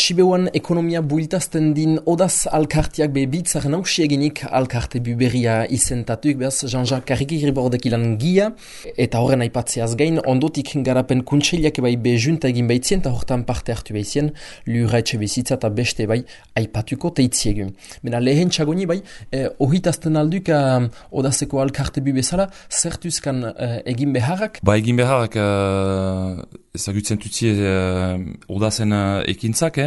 Sibeuan ekonomia builtazten din odaz alkartiak bitzaren hausieginik alkarte buberria izentatuik, behaz Jean-Jacques Karriki-Ribordek ilan gia, eta horren aipatzeaz gain, ondotik garapen kuntseliak bai bejunta egin baitzien, eta hortan parte hartu baizien, lura etxe bizitza eta beste bai aipatuko teitziegu. Bena lehen txagoni bai, ohitazten alduk odazeko alkarte bu bezala, zertuzkan egin beharrak? Ba egin beharrak ezagutzen tutzie odazen ekintzak,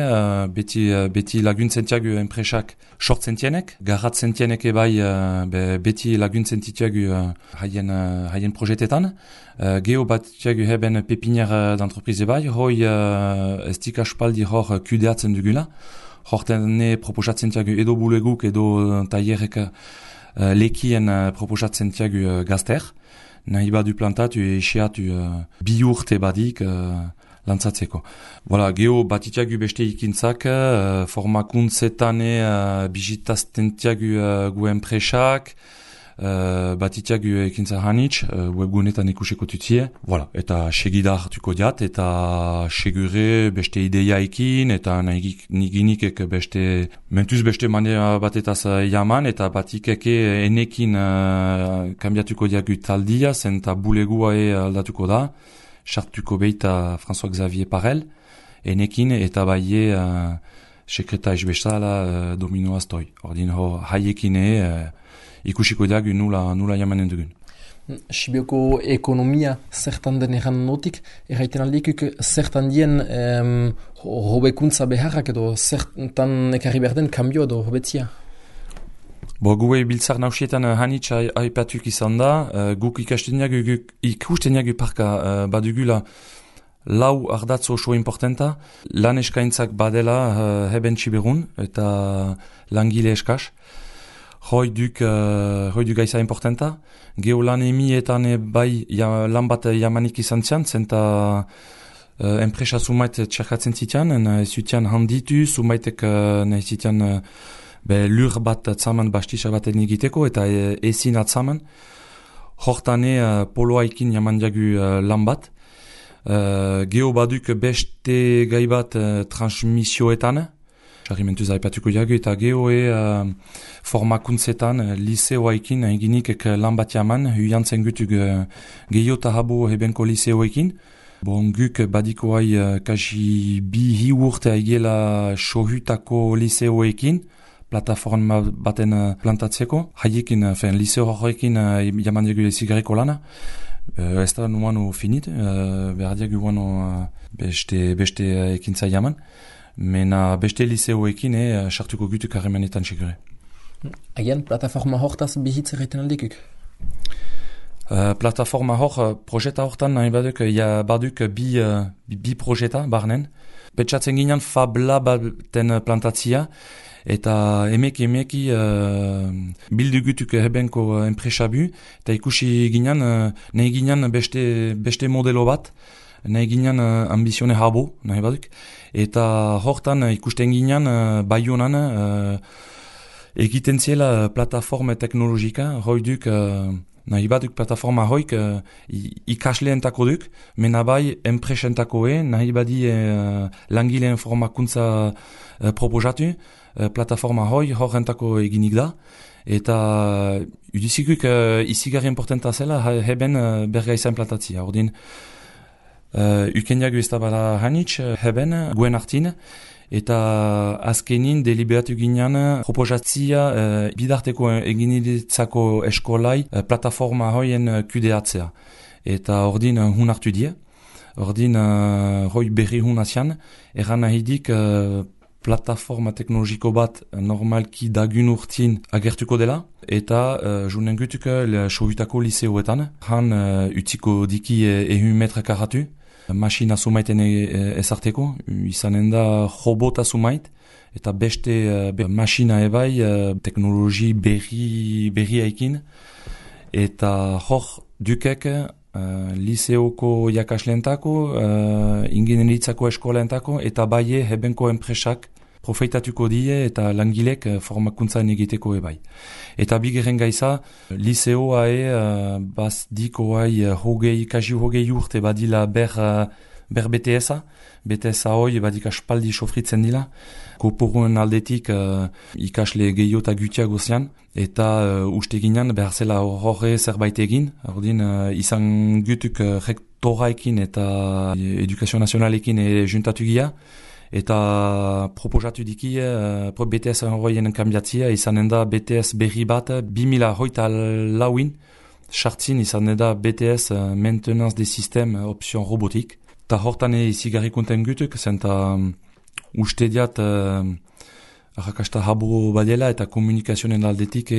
beti laguntzen tiagu enpresak sortzen tienek, garratzen tienek bai beti laguntzen tiagu haien projetetan. Geo bat tiagu heben pepinier d'entreprise bai, hoi ez dik aspaldi hor kudeatzen dugula. Hortene proposatzen tiagu edo buleguk edo taierek lekien proposatzen tiagu gazter. Nahi badu plantatu eseatu bi urte badik lantzatzeko. Voilà, geho batitiagu beste ikintzak, formakuntzetan bizitazten tiagu gu enpresak, batitiagu ekintza hanitz, webgunetan ikusiko tutie. Voilà, eta segida hartuko diat, eta segure beste ideiaekin, eta niginikek beste, mentuz beste manera batetaz jaman, eta batikeke enekin kambiatuko diagu taldia, zenta bulegua aldatuko da, sartuko beita François-Xavier Parel, enekin eta baie sekretais bezala domino astoi. Ordin hor haiekin ikusiko dagu nula jamanen dugun. Sibioko ekonomia zertan den erran notik, erraiten aldikuk zertan dien hobekuntza beharrak edo zertan ekarri berden kambio edo hobetzia? Gue biltzar nausietan hanitz aipatuk izan da, guk ikusten jagu parka badugula lau ardatz oso importanta, lan eskaintzak badela heben txiberun eta langile eskas. Hoi duk gaiza importanta. Geo lan emietan bai lan bat jamanik izan zian, zenta enpresa sumait txerkatzen zitian, zutian handitu, sumaitek nahi zitian lur bat atzaman bastisa baten egiteko eta ezin atzaman. Hortane poloaikin jaman diagu lan bat. Geo baduk beste gai bat transmisioetan. Jarrimentuz aipatuko diagu eta geo formakuntzetan liseoaikin eginikek lan bat jaman. Huiantzen gutug gehiago eta habo hebenko liseoaikin. Bon, guk badikoai kasi bi urte aigela sohutako liseoekin. Plataforma baten plantatzeko. Haiekin, liseo horrekin jaman diagu ezigarriko lana. Ez da nuano finit, behar diagu guano beste ekintza jaman. Mena beste liseoekin sartuko gutuk harremanetan segure. Agian, plataforma hortaz bihitz erraiten aldikuk? Plataforma hor, projeta hortan nahi baduk bi projeta barnen. Petsatzen ginen fabla baten plantatzia, eta emeki bildu gutuk hebenko enpresabu, eta ikusi ginen, nahi ginen beste modelo bat, nahi ginen ambizione habo, nahi baduk, eta hortan ikusten ginen Baionan egiten ziela plataforma teknologika, hoi duk, nahi baduk plataforma hoik ikasleentako duk, mena bai enpresenetakoe, nahi badi langileen formakuntza proposatu, plataforma horrentako eginik da, eta udizikuk izigarri importanta zela heben bergaizan plantatzia. Ordin, ukendiago ez da bala hanitz heben guen hartin, eta azkenin deliberatu ginean proposatzia bidarteko eginitzako eskolai plataforma hoien kudeatzea. Eta ordin hun hartu die, ordin hoi berri hun azian, erran nahidik plataforma teknologiko bat normalki dagun urtin agertuko dela, eta junen gutuk sohutako liseoetan, han utziko diki 1 metra karatu, masina sumaiten ezarteko, izanen da robota sumait, eta beste masina ebai teknologi berri haikin, eta hor dukek liseoko jakasleentako, ingenieritzako eskoleentako, eta baie hebenko enpresak profeitatuko die eta langilek formakuntzan egiteko ebai. Eta bigarren gaiza, liseoa baz dikoai kasi hogei urte badila ber BTS-a. BTS-a hoi, badik aspaldi sofritzen dila. Koporuen aldetik ikasle gehiago eta gutiak gozian. Eta uste ginean, behar zela horre zerbait egin. Ordin, izan gutuk rektoraekin eta edukazio nazionalekin juntatu gia. Eta proposatu diki BTS horreien kambiatzia, izanen da BTS berri bat 2024 sartzin izanen da BTS Maintenance des Systèmes option robotik. Ta hortan izigarri konten gutuk, zenta uste diat arrakasta habo badela eta komunikazionen aldetik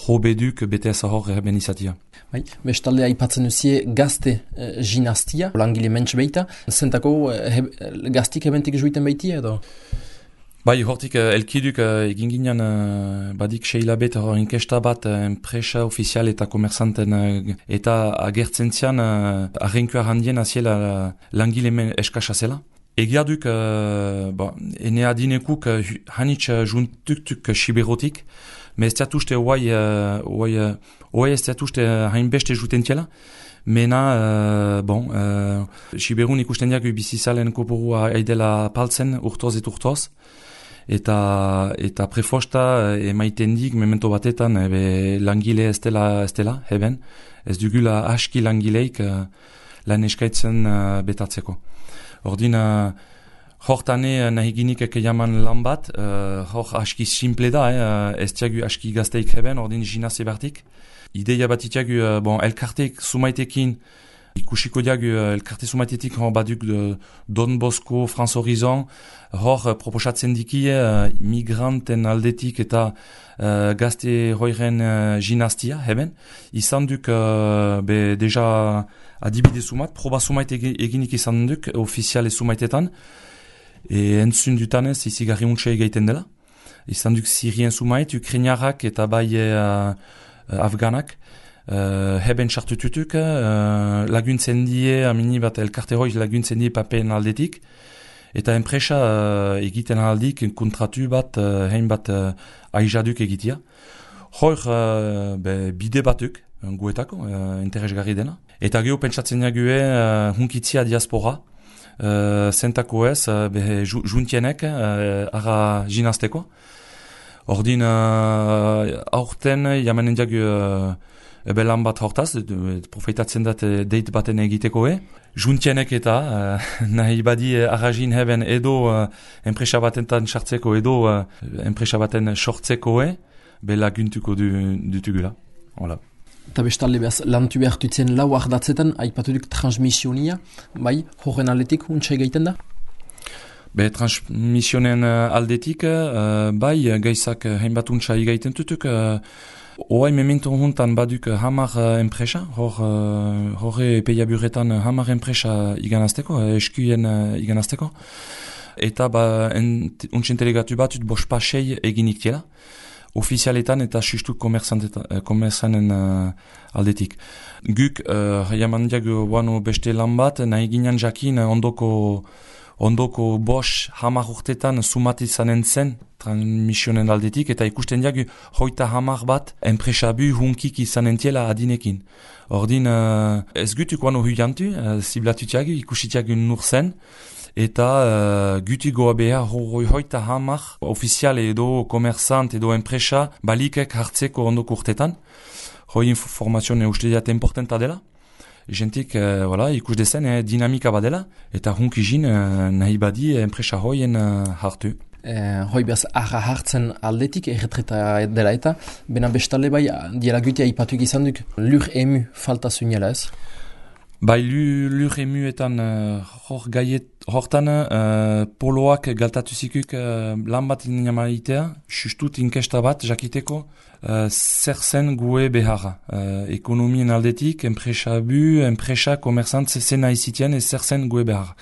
hobeduk BTS hor erben izatia. Bai, bestalde aipatzen duzie gazte ginastia, langile mentx beita, zentako gaztik ebentik juiten baitia edo? Bai, hortik elkiduk egin ginen badik seilabet hor inkesta bat enpresa ofizial eta komerzanten eta agertzen zian arrenkua handien aziela langile eskasa zela. Egia duk, ene adinekuk hanitz juntuktuk siberotik, me ez teatuste oai ez teatuste hainbeste jutentiela, mena, siberun ikusten diak bizizalen koporua aidela paltzen urtoz et urtoz, eta prefosta emaiten dik memento batetan langile ez dela, heben, ez dugula aski langileik lan eskaitzen betatzeko. Ordin, hortane nahi ginik jaman lan bat, hor aski simple da, ez tiagu aski gazteik heben, ordin ginaz ebartik. Ideia bat itiagu, elkarteik sumaitekin, ikusiko diagu elkarte sumaitetik hor baduk Don Bosco, France Horizon, hor proposatzen diki migranten aldetik eta gazte hoiren ginaztia heben. Izan duk deja adibide sumat, proba sumait eginik izan duk, ofiziale sumaitetan, entzun dutanez izigarri untxe egaiten dela. Izan duk Sirien sumait, Ukrainiarrak eta bai Afganak, heben sartututuk, laguntzen die, amini bat elkarte hoi laguntzen die papen aldetik, eta enpresa egiten aldik kontratu bat, hein bat aizaduk egitea. Hor bide batuk, guetako, interesgarri dena. Eta geho pentsatzen jague hunkitzia diaspora, zentako ez, juntienek, ara ginazteko. Ordin, aurten, jamanen jagu lan bat hortaz, profeitatzen dat deit baten egiteko juntienek eta nahi badi arragin heben edo enpresa batentan sartzeko edo enpresa baten sortzeko laguntuko dutugula. Hola. Eta bestalde behaz, lantu behartutzen lau ardatzetan, aipaturik transmisionia, bai, horren aldetik, untsa egaiten da? Transmisionen aldetik, bai, gaizak hainbat untsa egaiten tutuk, oai memento hontan baduk hamar enpresa, horre peiaburetan hamar enpresa iganazteko, eskuien iganazteko, eta untsen delegatu batut bospasei eginik tiela, ofizialetan eta sustu komerzanen aldetik. Guk, jamandiak guano beste lan bat, nahi ginen jakin ondoko bos hamar urtetan sumat izanen zen transmisionen aldetik, eta ikusten diak hoita hamar bat enpresabu hunkik izanen tiela adinekin. Ordin, ez gutuk guano huiantu, ziblatutiak ikusitiak nur zen, eta gutigoa behar hoita hamar ofiziale edo komerzant edo enpresa balikek hartzeko ondoko urtetan. Hoi informazioa uste diat importanta dela. Jentik ikus dezen dinamika badela eta hunkizin nahi badi enpresa hoien hartu. Hoi behaz arra hartzen aldetik erretreta dela eta bena bestale bai diela gutia ipatuik izan duk lur emu falta zuinela ez? Bai, lur emuetan hortan poloak galtatu zikuk lan bat inamaitea, sustut inkesta bat jakiteko zer zen gue beharra. Ekonomien aldetik, enpresa komerzant zena izitien zer zen gue beharra.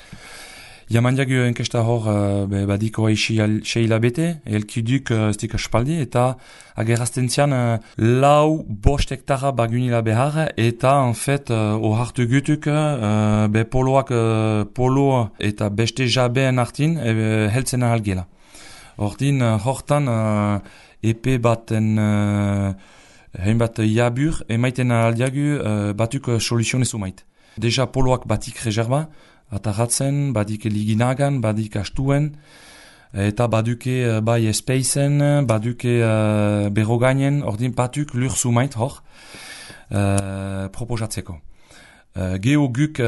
Jamandiak enkesta hor badiko seila bete, elkiduk stik aspaldi, eta agerazten zian lau bost hektara bagunila behar, eta en fait ohartu gutuk polo eta beste jabeen hartin heltzen ahalgela. Hortan epe baten hainbat jabur emaiten ahaldiagu batuk soluzionez umait. Deja poloak batik reserva, ataratzen, badik liginagan, badik astuen, eta baduke bai espeizen, baduke berogainen, ordin batuk lur sumait hor, proposatzeko. Geo guk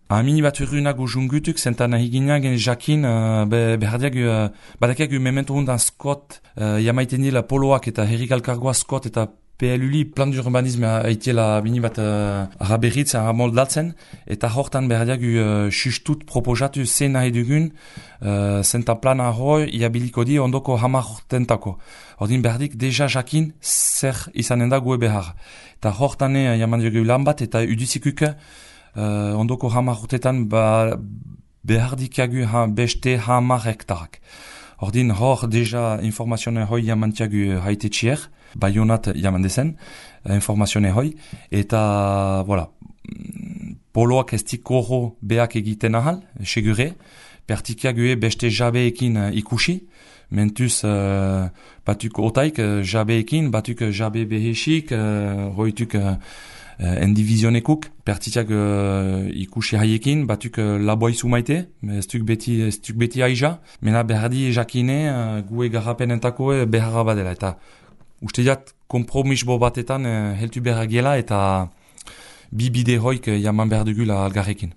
amini bat urrunago jungutuk, zentan ahiginagen jakin behardiak badakiak memento hundan skot jamaiten dila poloak eta herrikalkargoa skot eta PLUli plan d'urbanisme haitiela bini bat araberritz moldatzen eta hortan behardiak sustut proposatu zen nahi dugun zenta plana hoi iabiliko di ondoko hamar hortentako. Ordin behardik deja jakin zer izanen da gue behar. Eta hortane jaman dugu lan bat eta udizikuk ondoko hamar urtetan behar dikagu beste hamar hektarak. Ordin hor deja informazione hoi jamantiagu haite txier, baionat jaman dezen, informazione hoi, eta voilà, poloak ez dikoro beak egiten ahal, segure, pertikiagu beste jabeekin ikusi, mentuz batuk otaik jabeekin, batuk jabe behesik, hoituk endivizionekuk, pertitiak ikusi haiekin, batuk laboizu maite, ez duk beti aija, mena berdi jakine gue garrapenentako beharra badela, eta uste diat kompromisbo batetan heltu behar gela, eta bi bide hoik jaman behar dugula algarrekin.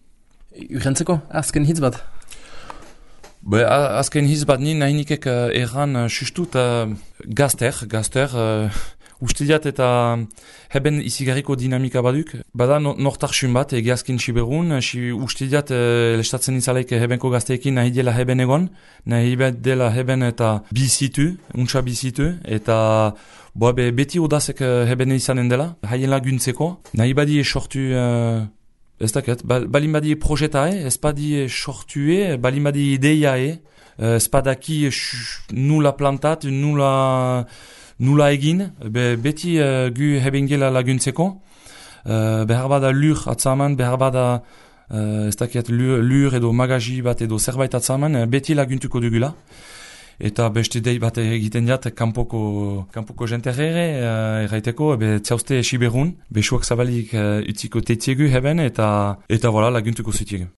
Urrentzeko, azken hitz bat? Azken hitz bat nien nahi nikek erran sustut gazter, uste diat eta heben izigarriko dinamika baduk. Bada nortarxun bat egiazkin siberun, uste diat lestatzen izaleik hebenko gazteekin nahi dela heben egon, nahi dela heben eta untsa bizitu, eta beti odazek heben izanen dela, haien laguntzeko. Nahi badi sortu, ez daket, balin badi projetae, ez badi sortue, balin badi ideiae, ez badaki nula plantat, nula egin, beti gu hebengela laguntzeko, behar bada lur atzaman, behar bada ez dakiat lur edo magaji bat edo zerbait atzaman, beti laguntuko dugula. Eta beste dei bat egiten diat kanpoko jenterrere, erraiteko, txauste siberun, besuak zabalik utziko teitiegu heben, eta voilà, laguntuko zutiegu.